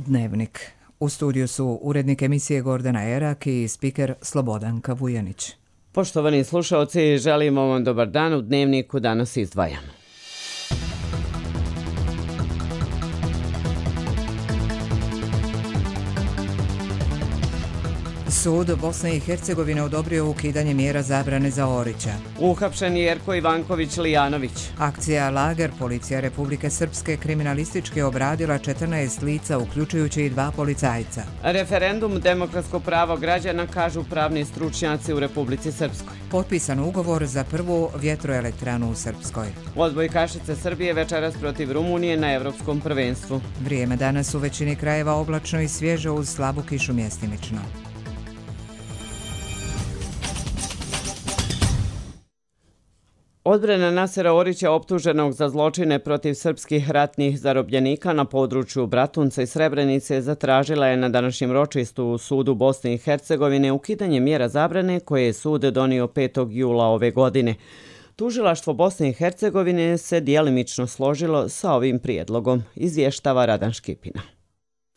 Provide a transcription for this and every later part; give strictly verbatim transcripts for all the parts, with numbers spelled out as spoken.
Dnevnik. U studiju su urednik emisije Gordana Erak i spiker Slobodanka Vujanić. Poštovani slušalci, želimo vam dobar dan. U Dnevniku danas izdvajamo. Sud Bosne i Hercegovine odobrio ukidanje mjera zabrane za Orića. Uhapšen Jerko Ivanković Lijanović. Akcija Lager, policija Republike Srpske kriminalistički obradila četrnaest lica, uključujući i dva policajca. Referendum demokratsko pravo građana, kažu pravni stručnjaci u Republici Srpskoj. Potpisan ugovor za prvu vjetroelektranu u Srpskoj. Odbojkašice Srbije večeras protiv Rumunije na Evropskom prvenstvu. Vrijeme danas u većini krajeva oblačno i svježe uz slabu kišu mjestimično. Odbrana Nasera Orića, optuženog za zločine protiv srpskih ratnih zarobljenika na području Bratunca i Srebrenice, zatražila je na današnjem ročištu u sudu Bosne i Hercegovine ukidanje mjera zabrane koje je sud donio petog jula ove godine. Tužilaštvo Bosne i Hercegovine se djelimično složilo sa ovim prijedlogom, izvještava Radan Škipina.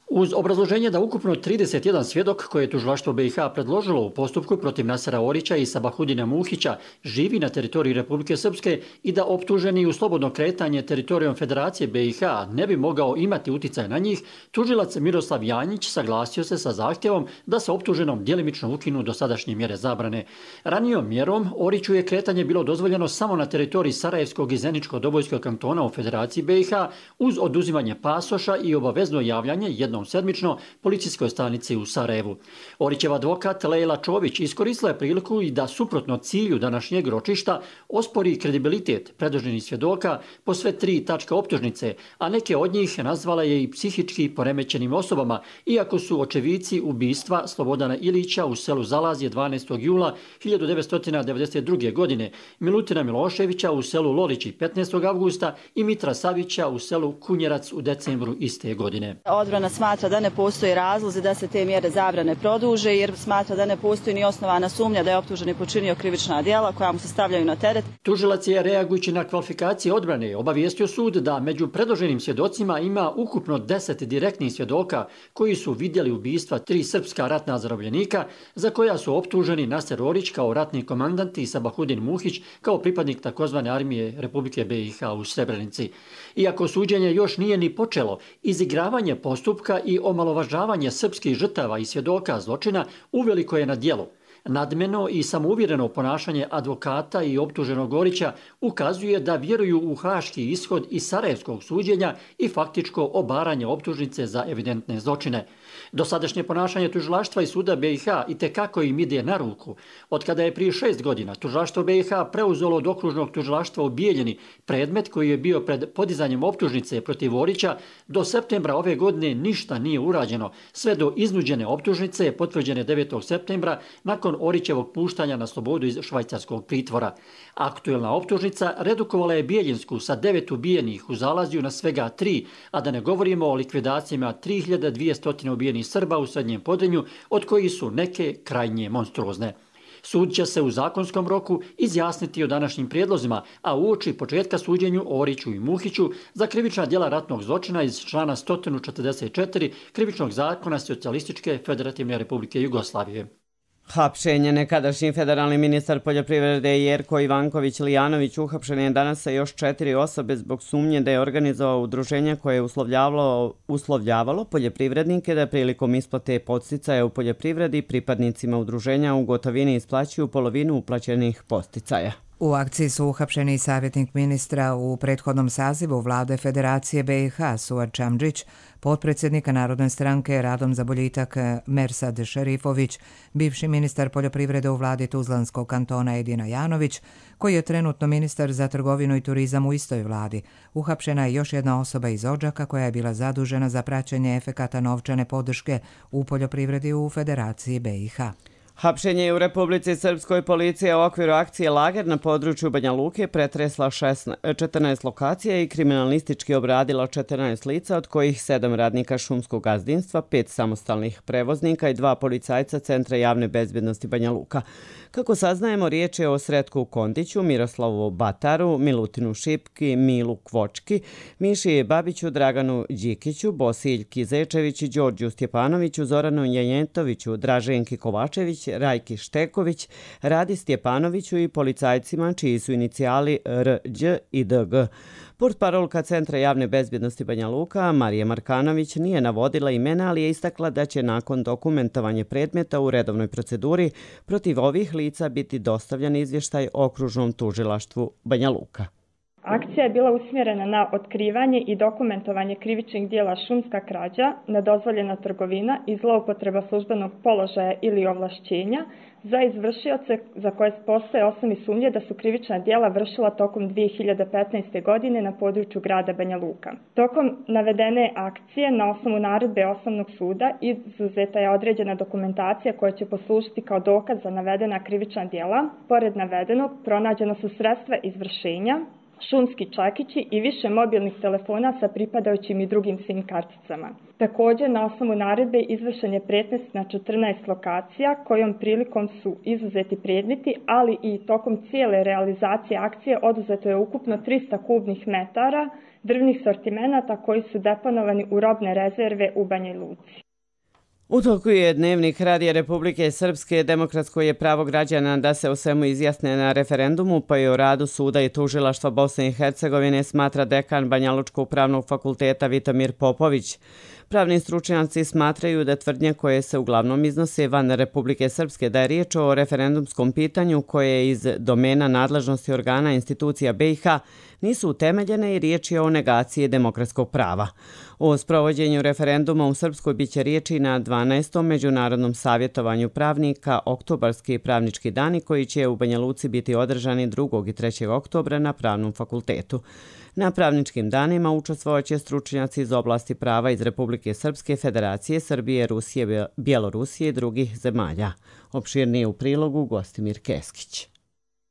Uz obrazloženje da ukupno trideset jedan svjedok koje je tužilaštvo B i H predložilo u postupku protiv Nasera Orića i Sabahudina Muhića živi na teritoriji Republike Srpske i da optuženi u slobodno kretanje teritorijom Federacije B i H ne bi mogao imati uticaj na njih, tužilac Miroslav Janjić saglasio se sa zahtjevom da se optuženom djelimično ukinu dosadašnje mjere zabrane. Ranijom mjerom Oriću je kretanje bilo dozvoljeno samo na teritoriji Sarajevskog i Zeničko-Dobojskog kantona u Federaciji B i H uz oduzimanje pasoša i obavezno javljanje jednom sedmično policijskoj stanici u Sarajevu. Orićev advokat Lejla Čović iskoristila je priliku i da suprotno cilju današnjeg ročišta ospori kredibilitet predloženih svjedoka po sve tri tačke optužnice, a neke od njih nazvala je i psihički poremećenim osobama, iako su očevici ubistva Slobodana Ilića u selu Zalazje dvanaestog jula hiljadu devetsto devedeset druge. godine, Milutina Miloševića u selu Lolići petnaestog avgusta i Mitra Savića u selu Kunjerac u decembru iste godine. Odbrana smatra da ne postoji razlozi da se te mjere zabrane produže, jer smatra da ne postoji ni osnovana sumnja da je optuženi počinio krivična djela koja mu se stavljaju na teret. Tužilac je, reagujući na kvalifikacije odbrane, obavijestio sud da među predloženim svjedocima ima ukupno deset direktnih svjedoka koji su vidjeli ubistva tri srpska ratna zarobljenika za koja su optuženi Naser Orić kao ratni komandant i Sabahudin Muhić kao pripadnik takozvane armije Republike B i H u Srebrenici. Iako suđenje još nije ni počelo, izigravanje postupka i omalovažavanje srpskih žrtava i svjedoka zločina uveliko je na djelu. Nadmeno i samouvjereno ponašanje advokata i optuženog Orića ukazuje da vjeruju u haški ishod iz sarajevskog suđenja i faktičko obaranje optužnice za evidentne zločine. Dosadašnje ponašanje tužilaštva i suda B i H itekako im ide na ruku. Od kada je prije šest godina tužilaštvo B i H preuzelo od okružnog tužilaštva u Bijeljini predmet koji je bio pred podizanjem optužnice protiv Orića, do septembra ove godine ništa nije urađeno, sve do iznuđene optužnice potvrđene devetog septembra nakon Orićevog puštanja na slobodu iz švajcarskog pritvora. Aktuelna optužnica redukovala je Bijeljinsku sa devet ubijenih u Zalazju na svega tri, a da ne govorimo o likvidacijama tri hiljade dvjesto ubijenih Srba u Srednjem Podrinju, od kojih su neke krajnje monstruozne. Sud će se u zakonskom roku izjasniti o današnjim prijedlozima, a uoči početka suđenju Oriću i Muhiću za krivična djela ratnog zločina iz člana sto četrdeset četiri Krivičnog zakona Socijalističke Federativne Republike Jugoslavije. Hapšenje. Nekadašnji federalni ministar poljoprivrede Jerko Ivanković Lijanović uhapšen je danas sa još četiri osobe zbog sumnje da je organizovao udruženje koje je uslovljavalo, uslovljavalo poljoprivrednike da prilikom isplate podsticaja u poljoprivredi pripadnicima udruženja u gotovini isplaćuju polovinu uplaćenih podsticaja. U akciji su uhapšeni i savjetnik ministra u prethodnom sazivu vlade Federacije B i H Suad Čamdžić, potpredsjednika Narodne stranke Radom za boljitak Mersad Šerifović, bivši ministar poljoprivrede u vladi Tuzlanskog kantona Edina Janović, koji je trenutno ministar za trgovinu i turizam u istoj vladi. Uhapšena je još jedna osoba iz Odžaka koja je bila zadužena za praćenje efekata novčane podrške u poljoprivredi u Federaciji B i H. Hapšenje je u Republici Srpskoj. Policija u okviru akcije Lager na području Banja Luke pretresla četrnaest lokacija i kriminalistički obradila četrnaest lica, od kojih sedam radnika šumskog gazdinstva, pet samostalnih prevoznika i dva policajca Centra javne bezbjednosti Banja Luka. Kako saznajemo, riječ je o Sretku Kondiću, Miroslavu Bataru, Milutinu Šipki, Milu Kvočki, Miši Babiću, Draganu Đikiću, Bosiljki Zečević, Đorđu Stjepanoviću, Zoranu Janjetoviću, Draženki Kovačević, Rajki Šteković, Radi Stjepanoviću i policajcima čiji su inicijali R Đ i D G. Portparolka Centra javne bezbjednosti Banja Luka, Marija Markanović, nije navodila imena, ali je istakla da će nakon dokumentovanja predmeta u redovnoj proceduri protiv ovih lica biti dostavljen izvještaj Okružnom tužilaštvu Banja Luka. Akcija je bila usmjerena na otkrivanje i dokumentovanje krivičnih djela šumska krađa, nedozvoljena trgovina i zloupotreba službenog položaja ili ovlašćenja za izvršioce za koje postoje osnovni sumnje da su krivična djela vršila tokom dvije hiljade petnaeste. godine na području grada Banja Luka. Tokom navedene akcije na osnovu naredbe Osnovnog suda izuzeta je određena dokumentacija koja će poslužiti kao dokaz za navedena krivična djela. Pored navedenog pronađena su sredstva izvršenja, šumski čekići i više mobilnih telefona sa pripadajućim i drugim SIM karticama. Također, na osnovu naredbe izvršen je pretres na četrnaest lokacija, kojom prilikom su izuzeti predmeti, ali i tokom cijele realizacije akcije oduzeto je ukupno trista kubnih metara drvnih sortimenata koji su deponovani u robne rezerve u Banja Luci. U toku je Dnevnik Radija Republike Srpske. Demokratsko je pravo građana da se o svemu izjasne na referendumu, pa i o radu suda i tužilaštva Bosne i Hercegovine, smatra dekan Banjalučkog pravnog fakulteta Vitomir Popović. Pravni stručnjaci smatraju da tvrdnje koje se uglavnom iznose van Republike Srpske da je riječ o referendumskom pitanju koje je iz domena nadležnosti organa institucija B i H nisu utemeljene i riječ je o negaciji demokratskog prava. O sprovođenju referenduma u Srpskoj biće riječi na dvanaestom međunarodnom savjetovanju pravnika Oktobarski pravnički dani koji će u Banja Luci biti održani drugog i trećeg oktobra na Pravnom fakultetu. Na pravničkim danima učestvovaće stručnjaci iz oblasti prava iz Republike Srpske, Federacije Srbije, Rusije, Bjelorusije i drugih zemalja. Opširnije u prilogu Gostimir Keskić.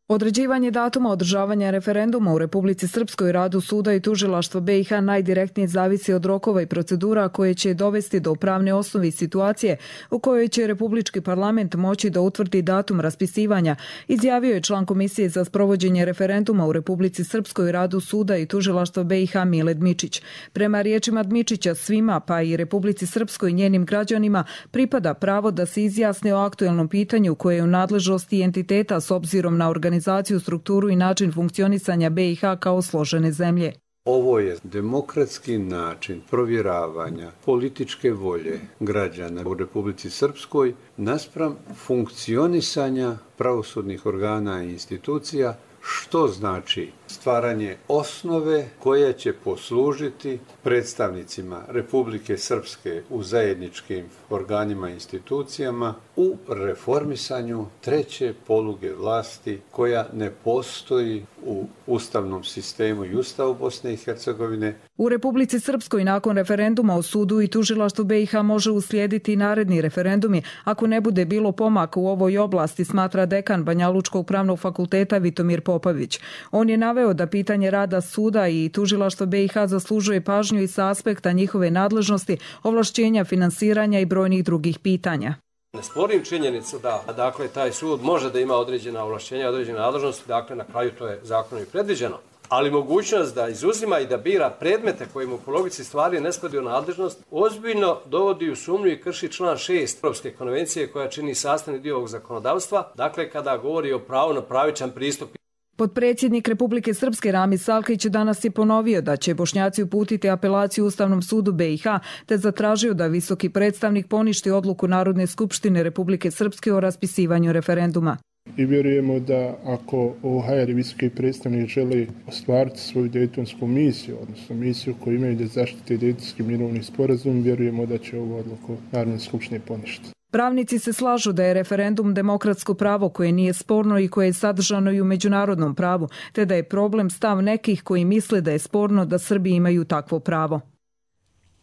Određivanje datuma održavanja referenduma u Republici Srpskoj, radu suda i tužilaštva B i H najdirektnije zavisi od rokova i procedura koje će dovesti do pravne osnove i situacije u kojoj će Republički parlament moći da utvrdi datum raspisivanja, izjavio je član Komisije za sprovođenje referenduma u Republici Srpskoj, radu suda i tužilaštva B i H Mile Dmičić. Prema riječima Dmičića, svima, pa i Republici Srpskoj i njenim građanima, pripada pravo da se izjasne o aktuelnom pitanju koje je u nadležnosti entiteta s obzirom na organizaciju organizaciju, strukturu i način funkcionisanja B i H kao složene zemlje. Ovo je demokratski način provjeravanja političke volje građana u Republici Srpskoj naspram funkcionisanja pravosudnih organa i institucija, što znači stvaranje osnove koja će poslužiti predstavnicima Republike Srpske u zajedničkim organima i institucijama u reformisanju treće poluge vlasti koja ne postoji u ustavnom sistemu i Ustavu Bosne i Hercegovine. U Republici Srpskoj nakon referenduma o sudu i tužilaštvu B i H može uslijediti naredni referendumi ako ne bude bilo pomaka u ovoj oblasti, smatra dekan Banjalučkog pravnog fakulteta Vitomir Popović. On je naveo da pitanje rada suda i tužilaštva B i H zaslužuje pažnju i sa aspekta njihove nadležnosti, ovlašćenja, finansiranja i brojnih drugih pitanja. Ne sporim činjenicu da dakle, taj sud može da ima određena ovlašćenja, određene nadležnosti, dakle na kraju to je zakonom i predviđeno. Ali mogućnost da izuzima i da bira predmete koji mu po logici stvari ne spadaju u nadležnost ozbiljno dovodi u sumnju i krši član šest Europske konvencije koja čini sastavni dio ovog zakonodavstva, dakle kada govori o pravu na pravičan pristup. Potpredsjednik Republike Srpske Ramis Salkić danas je ponovio da će Bošnjaci uputiti apelaciju Ustavnom sudu B i H te zatražio da visoki predstavnik poništi odluku Narodne skupštine Republike Srpske o raspisivanju referenduma. I vjerujemo da ako O H R i visoki predstavnik žele ostvariti svoju dejtonsku misiju, odnosno misiju koju imaju da zaštite dejtonski mirovni sporazum, vjerujemo da će ovu odluku Narodne skupštine poništiti. Pravnici se slažu da je referendum demokratsko pravo koje nije sporno i koje je sadržano i u međunarodnom pravu, te da je problem stav nekih koji misle da je sporno da Srbi imaju takvo pravo.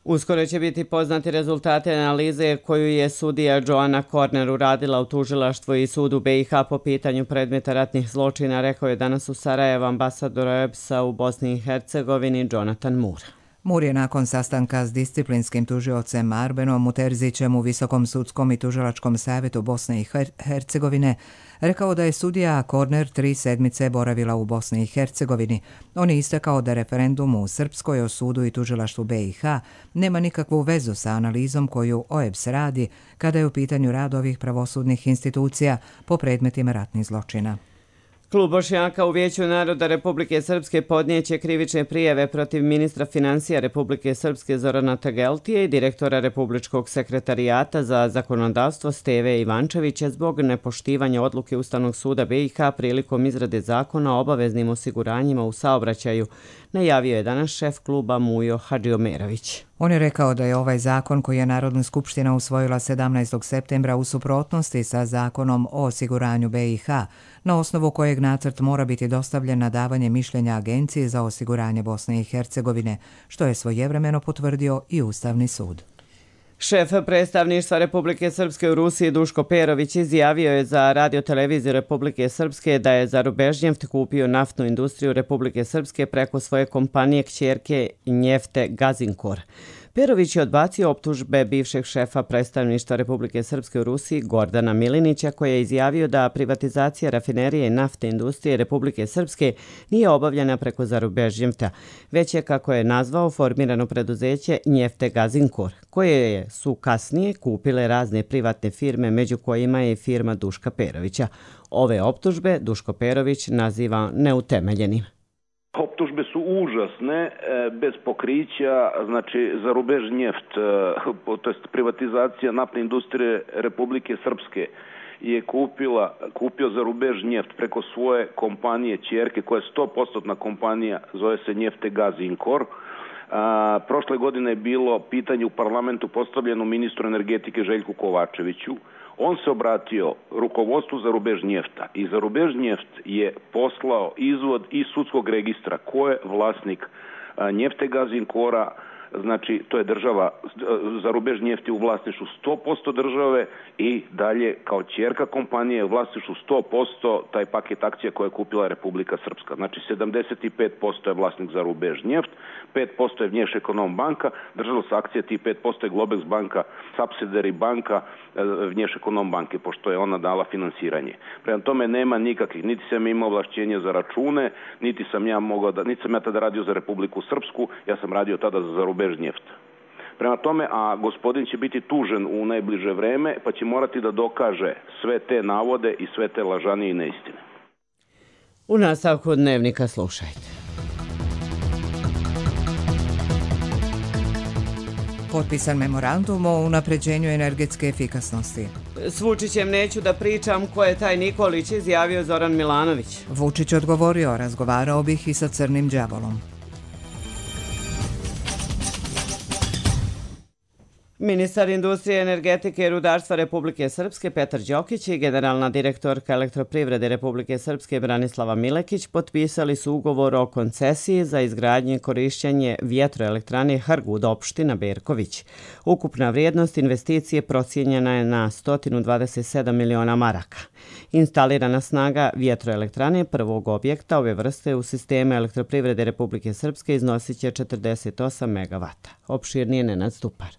Uskoro će biti poznati rezultati analize koju je sudija Joana Korner uradila u tužilaštvu i sudu B i H po pitanju predmeta ratnih zločina, rekao je danas u Sarajevu ambasador O E B S-a u Bosni i Hercegovini Jonathan Moore. Moore je nakon sastanka s disciplinskim tužiocem Arbenom Muterzićem u Visokom sudskom i tužilačkom savjetu Bosne i Hercegovine rekao da je sudija Korner tri sedmice boravila u Bosni i Hercegovini. On je istakao da referendum u Srpskoj o sudu i tužilaštvu B i H nema nikakvu vezu sa analizom koju O E B S radi kada je u pitanju rad ovih pravosudnih institucija po predmetima ratnih zločina. Klub Bošnjaka u Vijeću naroda Republike Srpske podnijeće krivične prijave protiv ministra financija Republike Srpske Zorana Tageltije i direktora Republičkog sekretarijata za zakonodavstvo Steve Ivančevića zbog nepoštivanja odluke Ustavnog suda B i H prilikom izrade zakona o obaveznim osiguranjima u saobraćaju, najavio je danas šef kluba Mujo Hadžiomerović. On je rekao da je ovaj zakon koji je Narodna skupština usvojila sedamnaestog septembra u suprotnosti sa zakonom o osiguranju B i H, na osnovu kojeg nacrt mora biti dostavljen na davanje mišljenja Agenciji za osiguranje Bosne i Hercegovine, što je svojevremeno potvrdio i Ustavni sud. Šef predstavništva Republike Srpske u Rusiji Duško Perović izjavio je za radioteleviziju Republike Srpske da je Zarubežnjeft kupio naftnu industriju Republike Srpske preko svoje kompanije kćerke Njefte Gazinkor. Perović je odbacio optužbe bivšeg šefa predstavništva Republike Srpske u Rusiji Gordana Milinića, koji je izjavio da privatizacija rafinerije i naftne industrije Republike Srpske nije obavljena preko Zarubežnjefta, već je, kako je nazvao, formirano preduzeće Njefte Gazinkor, koje su kasnije kupile razne privatne firme, među kojima je i firma Duška Perovića. Ove optužbe Duško Perović naziva neutemeljenim. Optužbe su užasne, bez pokrića, znači Zarubežnjeft, to jest privatizacija naftne industrije Republike Srpske je kupila, kupio Zarubežnjeft preko svoje kompanije ćerke, koja je sto posto kompanija, zove se Njefte Gazinkor. A, prošle godine je bilo pitanje u parlamentu postavljeno ministru energetike Željku Kovačeviću. On se obratio rukovodstvu Zarubežnjefta i Zarubežnjeft je poslao izvod iz sudskog registra ko je vlasnik Njefte Gazinkora. Znači, to je država, Zarubežnjeft je u vlasništvu sto posto države i dalje kao ćerka kompanije u vlasništvu sto posto taj paket akcija koje je kupila Republika Srpska. Znači, sedamdeset pet posto je vlasnik Zarubežnjeft, pet posto je Vnješekonombanka, držala se akcija tih pet posto je Globex banka, subsidiary banka Vnješekonombanke, pošto je ona dala finansiranje. Prema tome nema nikakvih, niti sam imao ovlašćenje za račune, niti sam ja mogao da, niti sam ja tada radio za Republiku Srpsku, ja sam radio tada za Zarubežnjeft. Prema tome, a gospodin će biti tužen u najbliže vreme, pa će morati da dokaže sve te navode i sve te lažanje i neistine. U nastavku dnevnika slušajte. Potpisan memorandum o unapređenju energetske efikasnosti. S Vučićem neću da pričam ko je taj Nikolić, izjavio Zoran Milanović. Vučić odgovorio, razgovarao bih i sa crnim đavolom. Ministar industrije, energetike i rudarstva Republike Srpske Petar Đokić i generalna direktorka elektroprivrede Republike Srpske Branislava Milekić potpisali su ugovor o koncesiji za izgradnje i korišćenje vjetroelektrane Hrgud, opština Berković. Ukupna vrijednost investicije procijenjena je na sto dvadeset sedam miliona maraka. Instalirana snaga vjetroelektrane prvog objekta ove vrste u sistemu elektroprivrede Republike Srpske iznosit će četrdeset osam megavata. Opširnije Nenad Stupar.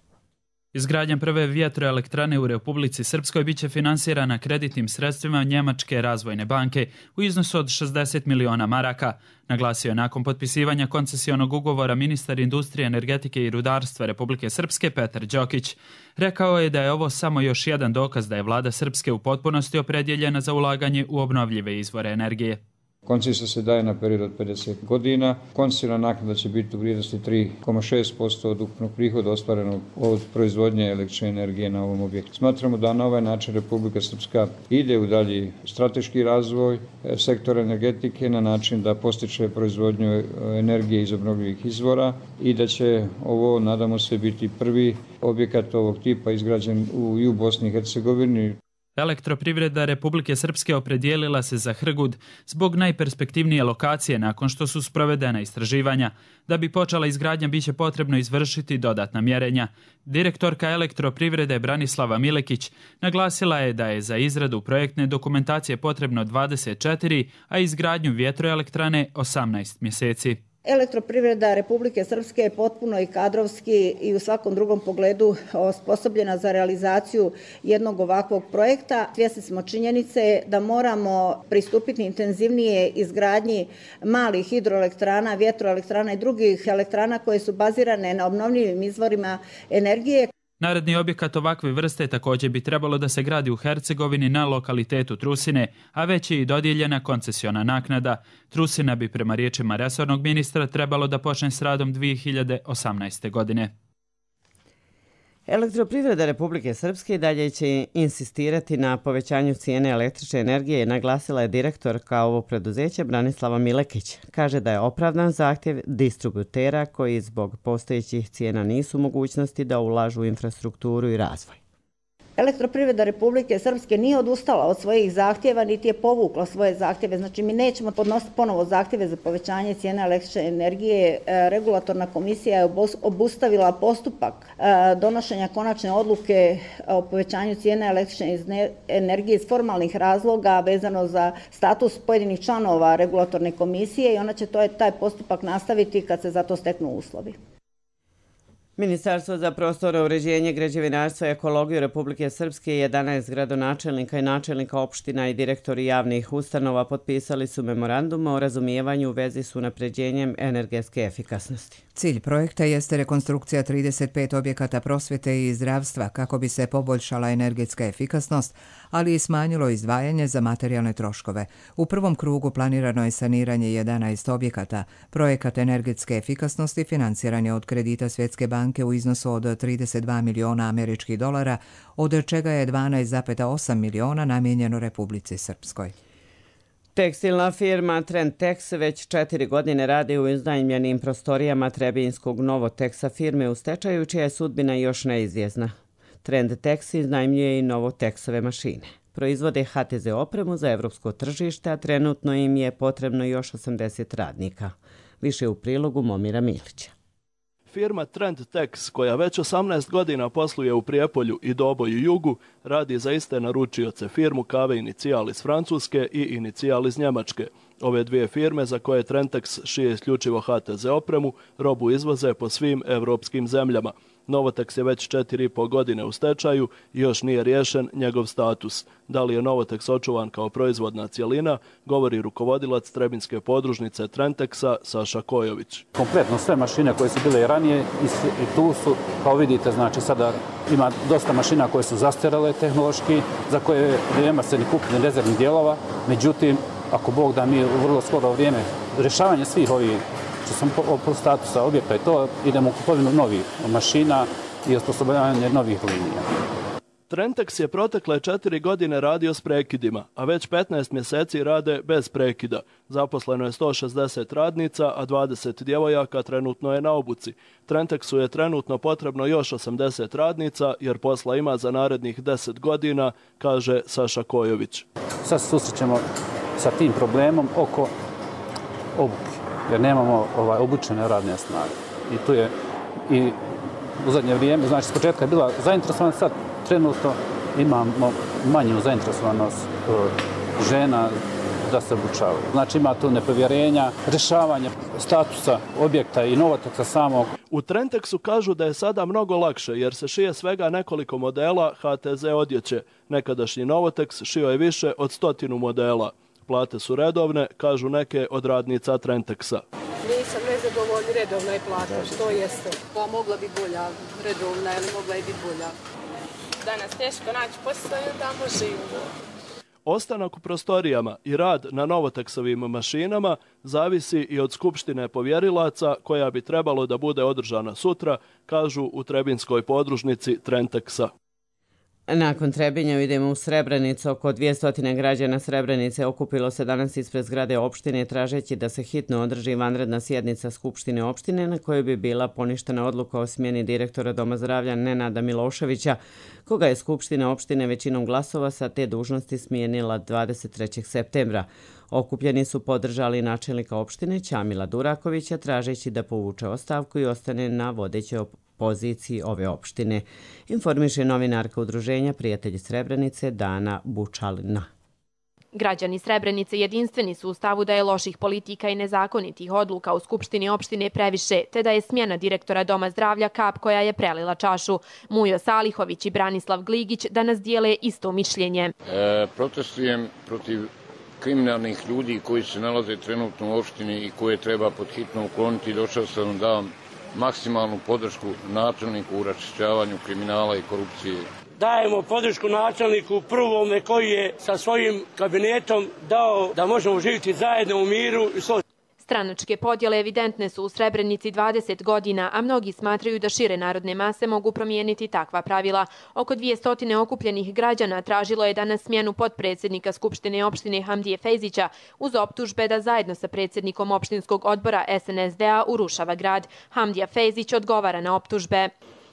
Izgradnja prve vjetroelektrane u Republici Srpskoj biće finansirana kreditnim sredstvima Njemačke razvojne banke u iznosu od šezdeset miliona maraka, naglasio je nakon potpisivanja koncesionog ugovora ministar industrije, energetike i rudarstva Republike Srpske Petar Đokić. Rekao je da je ovo samo još jedan dokaz da je vlada Srpske u potpunosti opredjeljena za ulaganje u obnovljive izvore energije. Koncesija se daje na period od pedeset godina. Koncesijna naknada će biti u vrijednosti tri zarez šest posto od ukupnog prihoda ostvarenog od proizvodnje električne energije na ovom objektu. Smatramo da na ovaj način Republika Srpska ide u dalji strateški razvoj sektora energetike na način da postiče proizvodnju energije iz obnovljivih izvora i da će ovo, nadamo se, biti prvi objekat ovog tipa izgrađen u, i u Bosni i Hercegovini. Elektroprivreda Republike Srpske opredijelila se za Hrgud zbog najperspektivnije lokacije nakon što su sprovedena istraživanja. Da bi počela izgradnja biće potrebno izvršiti dodatna mjerenja. Direktorka Elektroprivrede Branislava Milekić naglasila je da je za izradu projektne dokumentacije potrebno dvadeset četiri, a izgradnju vjetroelektrane osamnaest mjeseci. Elektroprivreda Republike Srpske je potpuno i kadrovski i u svakom drugom pogledu osposobljena za realizaciju jednog ovakvog projekta. Svjesni smo činjenice da moramo pristupiti intenzivnije izgradnji malih hidroelektrana, vjetroelektrana i drugih elektrana koje su bazirane na obnovljivim izvorima energije. Naredni objekat ovakve vrste također bi trebalo da se gradi u Hercegovini na lokalitetu Trusine, a već je i dodijeljena koncesiona naknada. Trusina bi prema riječima resornog ministra trebalo da počne s radom dvije hiljade osamnaeste. godine. Elektroprivreda Republike Srpske dalje će insistirati na povećanju cijene električne energije, naglasila je direktorka ovog preduzeća Branislava Milekić. Kaže da je opravdan zahtjev distributera koji zbog postojećih cijena nisu u mogućnosti da ulažu u infrastrukturu i razvoj. Elektroprivreda Republike Srpske nije odustala od svojih zahtjeva, niti je povukla svoje zahtjeve. Znači, mi nećemo podnositi ponovo zahtjeve za povećanje cijene električne energije. Regulatorna komisija je obustavila postupak donošenja konačne odluke o povećanju cijene električne energije iz formalnih razloga vezano za status pojedinih članova regulatorne komisije i ona će to, taj postupak nastaviti kad se za to steknu uslovi. Ministarstvo za prostorno uređenje, građevinarstvo i ekologiju Republike Srpske, jedanaest gradonačelnika i načelnika opština i direktori javnih ustanova potpisali su memorandum o razumijevanju u vezi s unapređenjem energetske efikasnosti. Cilj projekta jeste rekonstrukcija trideset pet objekata prosvjete i zdravstva kako bi se poboljšala energetska efikasnost, ali i smanjilo izdvajanje za materijalne troškove. U prvom krugu planirano je saniranje jedanaest objekata. Projekat energetske efikasnosti financiran je od kredita Svjetske banke u iznosu od trideset dva miliona američkih dolara, od čega je dvanaest zarez osam miliona namijenjeno Republici Srpskoj. Tekstilna firma Trentex već četiri godine radi u iznajmljenim prostorijama Trebinskog Novoteksa firme u stečaju, čija je sudbina još neizvjesna. Trentex iznajmljuje i Novoteksove mašine. Proizvode H T Z opremu za evropsko tržište, a trenutno im je potrebno još osamdeset radnika. Više u prilogu Momira Milića. Firma Trentex, koja već osamnaest godina posluje u Prijepolju i Doboju Jugu, radi za iste naručioce firmu Kave Inicijal iz Francuske i Inicijal iz Njemačke. Ove dvije firme za koje Trentex šije isključivo H T Z opremu, robu izvoze po svim evropskim zemljama. Novotex je već četiri i po godine u stečaju i još nije riješen njegov status. Da li je Novotex očuvan kao proizvodna cjelina, govori rukovodilac Trebinske podružnice Trentexa Saša Kojović. Kompletno sve mašine koje su bile i ranije i tu su, kao vidite, znači sada ima dosta mašina koje su zastarele tehnološki, za koje nema se ni kupiti rezervnih dijelova. Međutim, ako Bog da mi u vrlo skoro vrijeme rješavanje svih ovih što sam po statusa objekta i to, idemo u kupovinu novih mašina i osposobljavanje novih linija. Trentex je protekle četiri godine radio s prekidima, a već petnaest mjeseci rade bez prekida. Zaposleno je sto šezdeset radnica, a dvadeset djevojaka trenutno je na obuci. Trentexu je trenutno potrebno još osamdeset radnica, jer posla ima za narednih deset godina, kaže Saša Kojović. Sad se susrećemo sa tim problemom oko obuke, jer nemamo ovaj, obučene radne snage. I tu je i u zadnje vrijeme, znači s početka je bila zainteresovanost, sad trenutno imamo manju zainteresovanost žena da se obučavaju. Znači ima tu nepovjerenja, rješavanje statusa objekta i Novoteksa samog. U Trentexu kažu da je sada mnogo lakše jer se šije svega nekoliko modela H T Z odjeće. Nekadašnji Novotex šio je više od stotinu modela. Plate su redovne, kažu neke od radnica Trentexa. Nisam nezadovoljni, redovna je plata, što jeste. Pa mogla bi bolja, redovna, ali mogla je biti bolja. Danas teško naći posao i da možemo. Ostanak u prostorijama i rad na Novotexovim mašinama zavisi i od skupštine povjerilaca koja bi trebalo da bude održana sutra, kažu u Trebinskoj podružnici Trentexa. Nakon Trebinja idemo u Srebrenicu. Oko dvjesto građana Srebrenice okupilo se danas ispred zgrade opštine tražeći da se hitno održi vanredna sjednica Skupštine opštine na kojoj bi bila poništena odluka o smjeni direktora Doma zdravlja Nenada Miloševića, koga je Skupština opštine većinom glasova sa te dužnosti smijenila dvadeset trećeg septembra. Okupljeni su podržali načelnika opštine Ćamila Durakovića tražeći da povuče ostavku i ostane na vodećoj poziciji ove opštine, informiše novinarka udruženja Prijatelji Srebrenice Dana Bučalina. Građani Srebrenice jedinstveni su u stavu da je loših politika i nezakonitih odluka u Skupštini opštine previše, te da je smjena direktora Doma zdravlja kap koja je prelila čašu. Mujo Salihović i Branislav Gligić danas dijele isto mišljenje. E, protestujem protiv kriminalnih ljudi koji se nalaze trenutno u opštini i koje treba pod hitno ukloniti. Došao sam da dam maksimalnu podršku načelniku u raščišćavanju kriminala i korupcije. Dajemo podršku načelniku prvome koji je sa svojim kabinetom dao da možemo živjeti zajedno u miru. Stranačke podjele evidentne su u Srebrenici dvadeset godina, a mnogi smatraju da šire narodne mase mogu promijeniti takva pravila. Oko dvjesto okupljenih građana tražilo je danas smjenu potpredsjednika Skupštine opštine Hamdije Fejzića uz optužbe da zajedno sa predsjednikom opštinskog odbora S N S D-a urušava grad. Hamdija Fejzić odgovara na optužbe.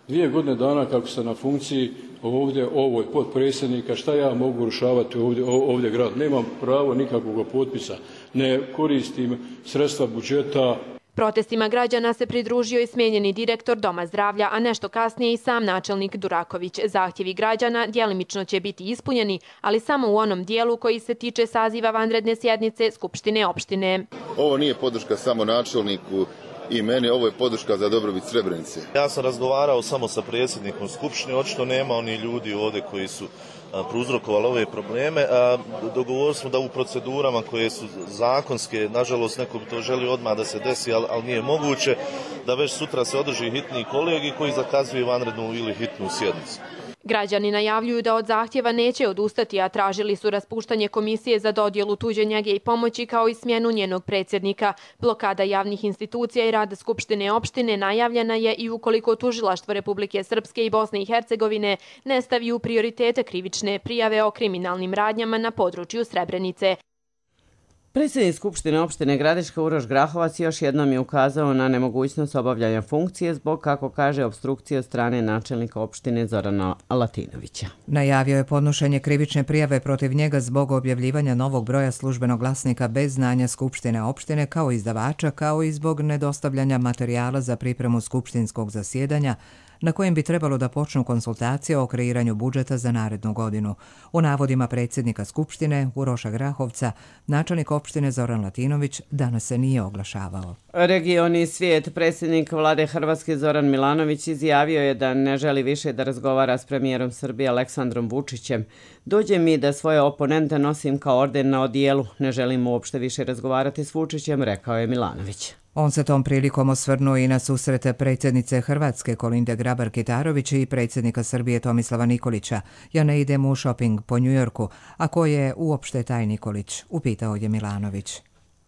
Dvije godine dana kako sam na funkciji ovdje, ovoj potpredsjednika, šta ja mogu urušavati ovdje, ovdje grad? Nemam pravo nikakvog potpisa, ne koristim sredstva budžeta. Protestima građana se pridružio i smijenjeni direktor Doma zdravlja, a nešto kasnije i sam načelnik Duraković. Zahtjevi građana djelimično će biti ispunjeni, ali samo u onom dijelu koji se tiče saziva vanredne sjednice Skupštine opštine. Ovo nije podrška samo načelniku i meni, ovo je podrška za dobrobit Srebrenice. Ja sam razgovarao samo sa predsjednikom Skupštine, očito nema oni ljudi ovdje koji su prouzrokovali ove probleme. Dogovorili smo da u procedurama koje su zakonske, nažalost neko bi to želio odmah da se desi, ali, ali nije moguće, da već sutra se održi hitni kolegij koji zakazuje vanrednu ili hitnu sjednicu. Građani najavljuju da od zahtjeva neće odustati, a tražili su raspuštanje komisije za dodjelu tuđe njege i pomoći kao i smjenu njenog predsjednika. Blokada javnih institucija i rada Skupštine opštine najavljena je i ukoliko tužilaštvo Republike Srpske i Bosne i Hercegovine ne stavi u prioritete krivične prijave o kriminalnim radnjama na području Srebrenice. Predsjednik Skupštine opštine Gradiška Uroš Grahovac još jednom je ukazao na nemogućnost obavljanja funkcije zbog, kako kaže, opstrukcije od strane načelnika opštine Zorana Latinovića. Najavio je podnošenje krivične prijave protiv njega zbog objavljivanja novog broja službenog glasnika bez znanja Skupštine opštine kao izdavača, kao i zbog nedostavljanja materijala za pripremu skupštinskog zasjedanja na kojem bi trebalo da počnu konsultacije o kreiranju budžeta za narednu godinu. U navodima predsjednika Skupštine Uroša Grahovca, načelnik opštine Zoran Latinović danas se nije oglašavao. Regioni svijet, predsjednik vlade Hrvatske Zoran Milanović izjavio je da ne želi više da razgovara s premijerom Srbije Aleksandrom Vučićem. Dođe mi da svoje oponente nosim kao orden na odijelu. Ne želim uopšte više razgovarati s Vučićem, rekao je Milanović. On se tom prilikom osvrnuo i na susrete predsjednice Hrvatske Kolinde Grabar-Kitarović i predsjednika Srbije Tomislava Nikolića. Ja ne idem u šoping po Njujorku, a ko je uopšte taj Nikolić, upitao je Milanović.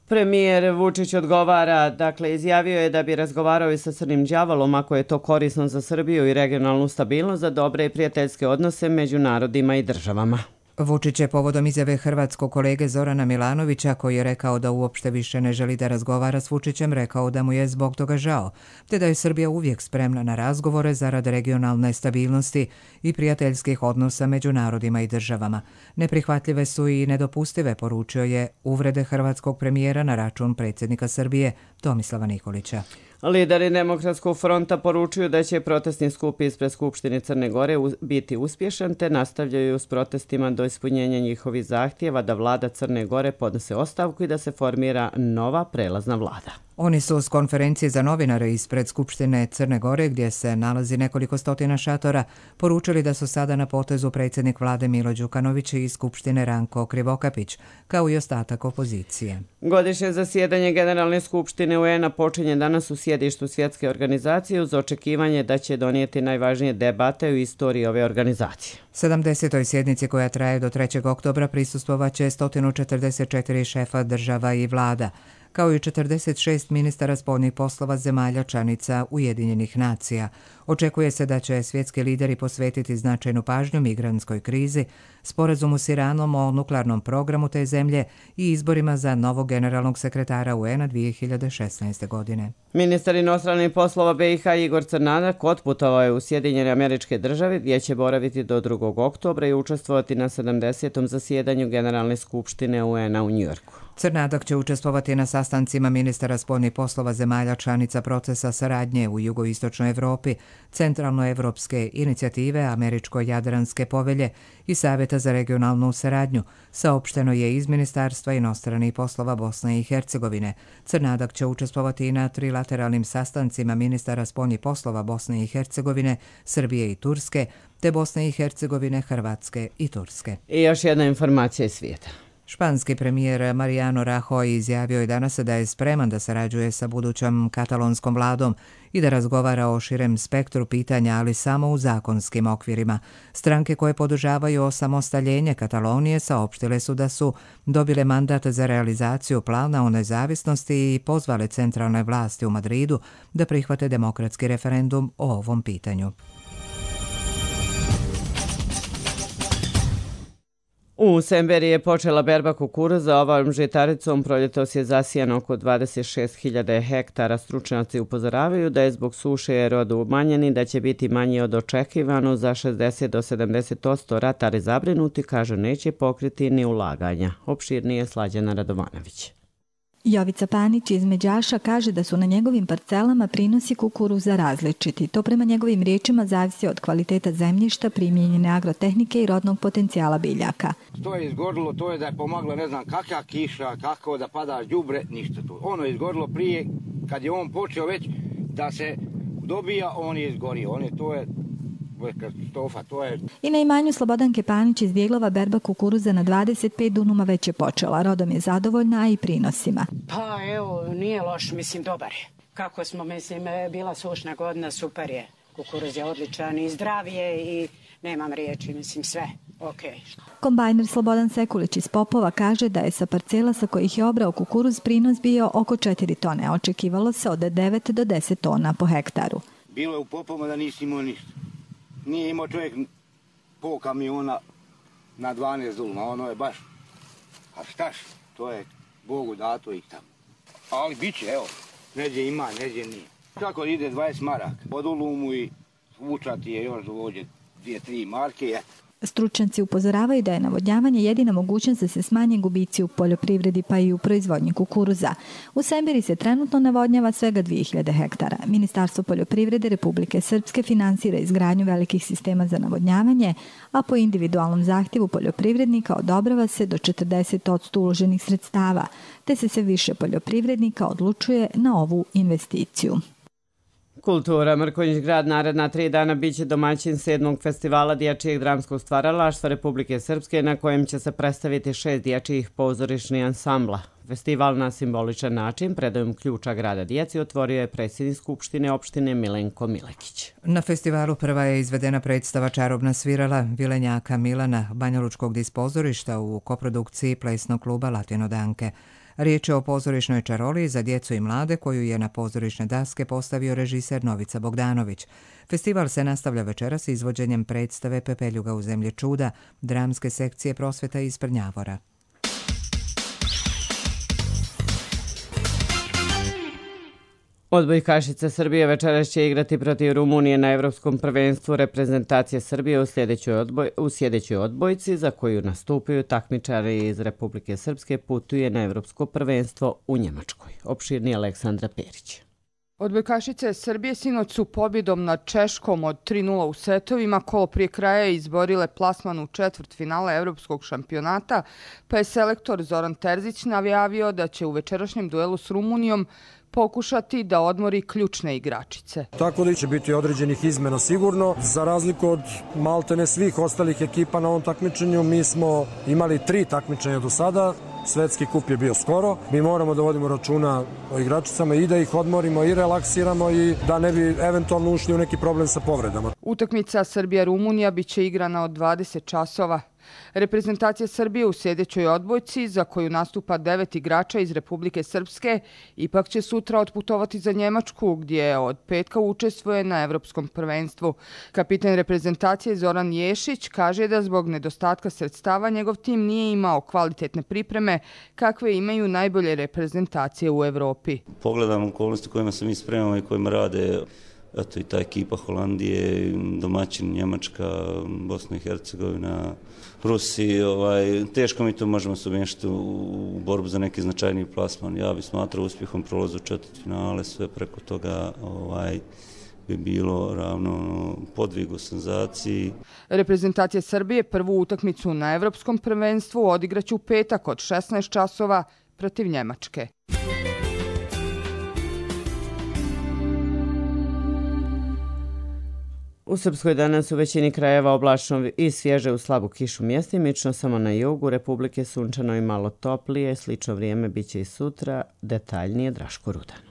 Premijer Vučić odgovara, dakle izjavio je da bi razgovarao i sa Crnim đavolom ako je to korisno za Srbiju i regionalnu stabilnost, za dobre i prijateljske odnose među narodima i državama. Vučić je povodom izjave hrvatskog kolege Zorana Milanovića, koji je rekao da uopšte više ne želi da razgovara s Vučićem, rekao da mu je zbog toga žao, te da je Srbija uvijek spremna na razgovore zarad regionalne stabilnosti i prijateljskih odnosa među narodima i državama. Neprihvatljive su i nedopustive, poručio je uvrede hrvatskog premijera na račun predsjednika Srbije Tomislava Nikolića. Lideri Demokratskog fronta poručuju da će protestni skup ispred Skupštine Crne Gore biti uspješan, te nastavljaju s protestima do ispunjenja njihovih zahtjeva da vlada Crne Gore podnese ostavku i da se formira nova prelazna vlada. Oni su s konferencije za novinare ispred Skupštine Crne Gore, gdje se nalazi nekoliko stotina šatora, poručili da su sada na potezu predsjednik vlade Milo Đukanović i Skupštine Ranko Krivokapić, kao i ostatak opozicije. Godišnje zasjedanje Generalne skupštine U N-a počinje danas u sjedištu svjetske organizacije uz očekivanje da će donijeti najvažnije debate u istoriji ove organizacije. sedamdesetoj sjednici koja traje do trećeg oktobra prisustvovaće sto četrdeset četiri šefa država i vlada. kao i četrdeset šest ministara spoljnih poslova zemalja članica Ujedinjenih nacija. Očekuje se da će svjetski lideri posvetiti značajnu pažnju migrantskoj krizi, sporazumu s Iranom o nuklearnom programu te zemlje i izborima za novog generalnog sekretara U N-a dvije hiljade šesnaeste. godine. Ministar inostranih poslova B i H Igor Crnadak otputovao je u Sjedinjene Američke Države gdje će boraviti do drugog oktobra i učestvovati na sedamdesetom zasjedanju Generalne skupštine U N-a u Njujorku. Crnadak će učestvovati na sastancima ministara spoljnih poslova zemalja članica procesa saradnje u jugoistočnoj Evropi, centralnoevropske inicijative Američko-Jadranske povelje i Savjeta za regionalnu saradnju, saopšteno je iz Ministarstva inostranih poslova Bosne i Hercegovine. Crnadak će učestvovati i na trilateralnim sastancima ministara spoljnih poslova Bosne i Hercegovine, Srbije i Turske, te Bosne i Hercegovine, Hrvatske i Turske. I još jedna informacija iz svijeta. Španski premijer Mariano Rajoy izjavio je danas da je spreman da sarađuje sa budućom katalonskom vladom i da razgovara o širem spektru pitanja, ali samo u zakonskim okvirima. Stranke koje podržavaju osamostaljenje Katalonije saopštile su da su dobile mandat za realizaciju plana o nezavisnosti i pozvale centralne vlasti u Madridu da prihvate demokratski referendum o ovom pitanju. U Semberi je počela berba kukuruza. Ovom žitaricom proljetos je zasijano oko dvadeset šest hiljada hektara. Stručnjaci upozoravaju da je zbog suše rod umanjen i da će biti manji od očekivano za šezdeset do sedamdeset posto. Ratari zabrinuti kažu neće pokriti ni ulaganja. Opširnije Slađana Radovanović. Jovica Panić iz Međaša kaže da su na njegovim parcelama prinosi kukuruza različiti. To prema njegovim riječima zavisi od kvaliteta zemljišta, primijenjene agrotehnike i rodnog potencijala biljaka. To je izgorilo, to je da je pomaglo ne znam kakva kiša, kako da pada đubre, ništa tu. Ono je izgorilo prije, kad je on počeo već da se dobija, on je izgorio. On je, to je katastrofa, to je... I na imanju Slobodanke Panić iz Bjeglova berba kukuruza na dvadeset pet dunuma već je počela. Rodom je zadovoljna, a i prinosima. Pa evo, nije loš, mislim, dobar je. Kako smo, mislim, bila sušna godina, super je. Kukuruz je odličan i zdrav je i nemam riječi, mislim, sve. Okay. Kombajner Slobodan Sekulić iz Popova kaže da je sa parcela sa kojih je obrao kukuruz prinos bio oko četiri tone. Očekivalo se od devet do deset tona po hektaru. Bilo je u Popovima da nisi imao ništa. Nije imao čovjek pol kamiona na dvanaest duluma, ono je baš, a štaš, to je Bogu dato i tamo. Ali bit će, evo, neđe ima, neđe nije. Kako ide dvadeset maraka, po dulumu i vučati je još dovođe dvije, tri marke. Stručnjaci upozoravaju da je navodnjavanje jedina mogućnost da se smanje gubici u poljoprivredi pa i u proizvodnji kukuruza. U Semberi se trenutno navodnjava svega dvije hiljade hektara. Ministarstvo poljoprivrede Republike Srpske finansira izgradnju velikih sistema za navodnjavanje, a po individualnom zahtjevu poljoprivrednika odobrava se do četrdeset posto uloženih sredstava, te se sve više poljoprivrednika odlučuje na ovu investiciju. Kultura. Mrkonjić grad naredna tri dana biće domaćin sedmog festivala dječjeg dramskog stvaralaštva Republike Srpske, na kojem će se predstaviti šest dječjih pozorišnih ansambla. Festival na simboličan način predajom ključa grada djeci otvorio je predsjednik Skupštine opštine Milenko Milekić. Na festivalu prva je izvedena predstava Čarobna svirala Vilenjaka Milana, banjalučkog dispozorišta u koprodukciji plesnog kluba Latino Danke. Riječ je o pozorišnoj čaroli za djecu i mlade koju je na pozorišne daske postavio režiser Novica Bogdanović. Festival se nastavlja večeras izvođenjem predstave Pepeljuga u zemlji čuda, dramske sekcije Prosveta iz Prnjavora. Odbojkašice Srbije večeras će igrati protiv Rumunije na Evropskom prvenstvu reprezentacije Srbije u sljedećoj, odboj, u sljedećoj odbojci za koju nastupaju takmičari iz Republike Srpske putuje na Evropsko prvenstvo u Njemačkoj. Opširni Aleksandra Perić. Odbojkašice Srbije sinoć su pobjedom nad Češkom od tri nula u setovima kolo prije kraja izborile plasman u četvrt finala Evropskog šampionata, pa je selektor Zoran Terzić najavio da će u večerašnjem duelu s Rumunijom pokušati da odmori ključne igračice. Tako da će biti određenih izmena sigurno. Za razliku od maltene svih ostalih ekipa na ovom takmičenju, mi smo imali tri takmičenja do sada. Svetski kup je bio skoro. Mi moramo da vodimo računa o igračicama i da ih odmorimo i relaksiramo i da ne bi eventualno ušli u neki problem sa povredama. Utakmica Srbija-Rumunija biće igrana od dvadeset časova. Reprezentacija Srbije u sljedećoj odbojci, za koju nastupa devet igrača iz Republike Srpske, ipak će sutra otputovati za Njemačku, gdje od petka učestvuje na Evropskom prvenstvu. Kapitan reprezentacije Zoran Ješić kaže da zbog nedostatka sredstava njegov tim nije imao kvalitetne pripreme kakve imaju najbolje reprezentacije u Evropi. Pogledam okolnosti kojima se mi spremamo i kojima rade eto i ta ekipa Holandije, domaćin Njemačka, Bosna i Hercegovina, Rusiji, ovaj, teško mi to možemo se umješati u borbu za neki značajniji plasman. Ja bih smatrao uspjehom prolazu četvrtfinale, sve preko toga ovaj, bi bilo ravno podvigu senzaciji. Reprezentacija Srbije prvu utakmicu na Evropskom prvenstvu odigraće u petak od šesnaest časova protiv Njemačke. U Srpskoj danas u većini krajeva oblačno i svježe u slabu kišu mjestimično, samo na jugu Republike sunčano i malo toplije, slično vrijeme biće i sutra, detaljnije Draško Rudan.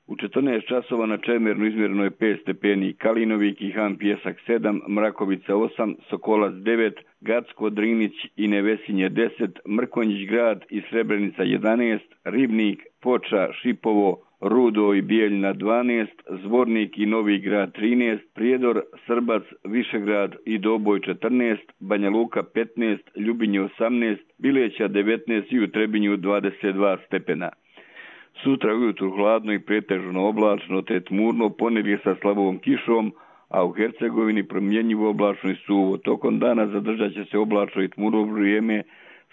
U četrnaest časova na Čemernu izmjereno je pet stepeni, Kalinovi, Kihan, Pjesak sedam, Mrakovica osam, Sokolac devet, Gacko, Drinić i Nevesinje deset, Mrkonjić grad i Srebrenica jedanaest, Ribnik, Foča, Šipovo, Rudo i Bijeljina dvanaest, Zvornik i Novi grad trinaest, Prijedor, Srbac, Višegrad i Doboj četrnaest, Banja Luka petnaest, Ljubinje osamnaest, Bileća devetnaest i u Trebinju dvadeset dva stepena. Sutra ujutru hladno i pretežno oblačno te tmurno, ponedjeljak sa slabom kišom, a u Hercegovini promjenjivo oblačno i suvo. Tokom dana zadržat će se oblačno i tmurno vrijeme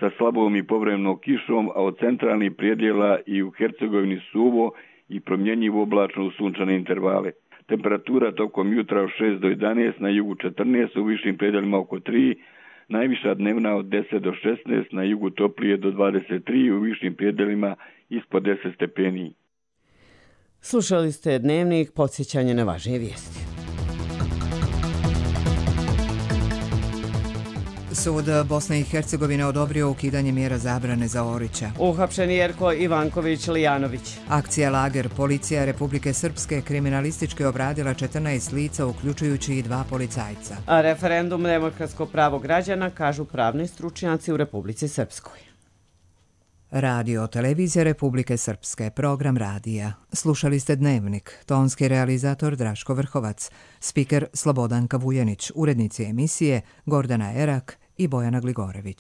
sa slabom i povremenom kišom, a od centralnih predjela i u Hercegovini suvo i promjenjivo oblačno u sunčane intervale. Temperatura tokom jutra od šest do jedanaest, na jugu četrnaest, u višim predjelima oko tri, najviša dnevna od deset do šesnaest, na jugu toplije do dvadeset tri, u višim predjelima ispod deset stepeni. Slušali ste Dnevnik, podsjećanje na važnije vijesti. Sud Bosne i Hercegovine odobrio ukidanje mjera zabrane za Orića. Uhapšen Jerko Ivanković-Lijanović. Akcija Lager, policija Republike Srpske kriminalistički obradila četrnaest lica, uključujući i dva policajca. A referendum demokratsko pravo građana, kažu pravni stručnjaci u Republici Srpskoj. Radio Televizija Republike Srpske, program radija. Slušali ste Dnevnik, tonski realizator Draško Vrhovac, spiker Slobodanka Vujanić, urednici emisije Gordana Erak i Bojana Gligorević.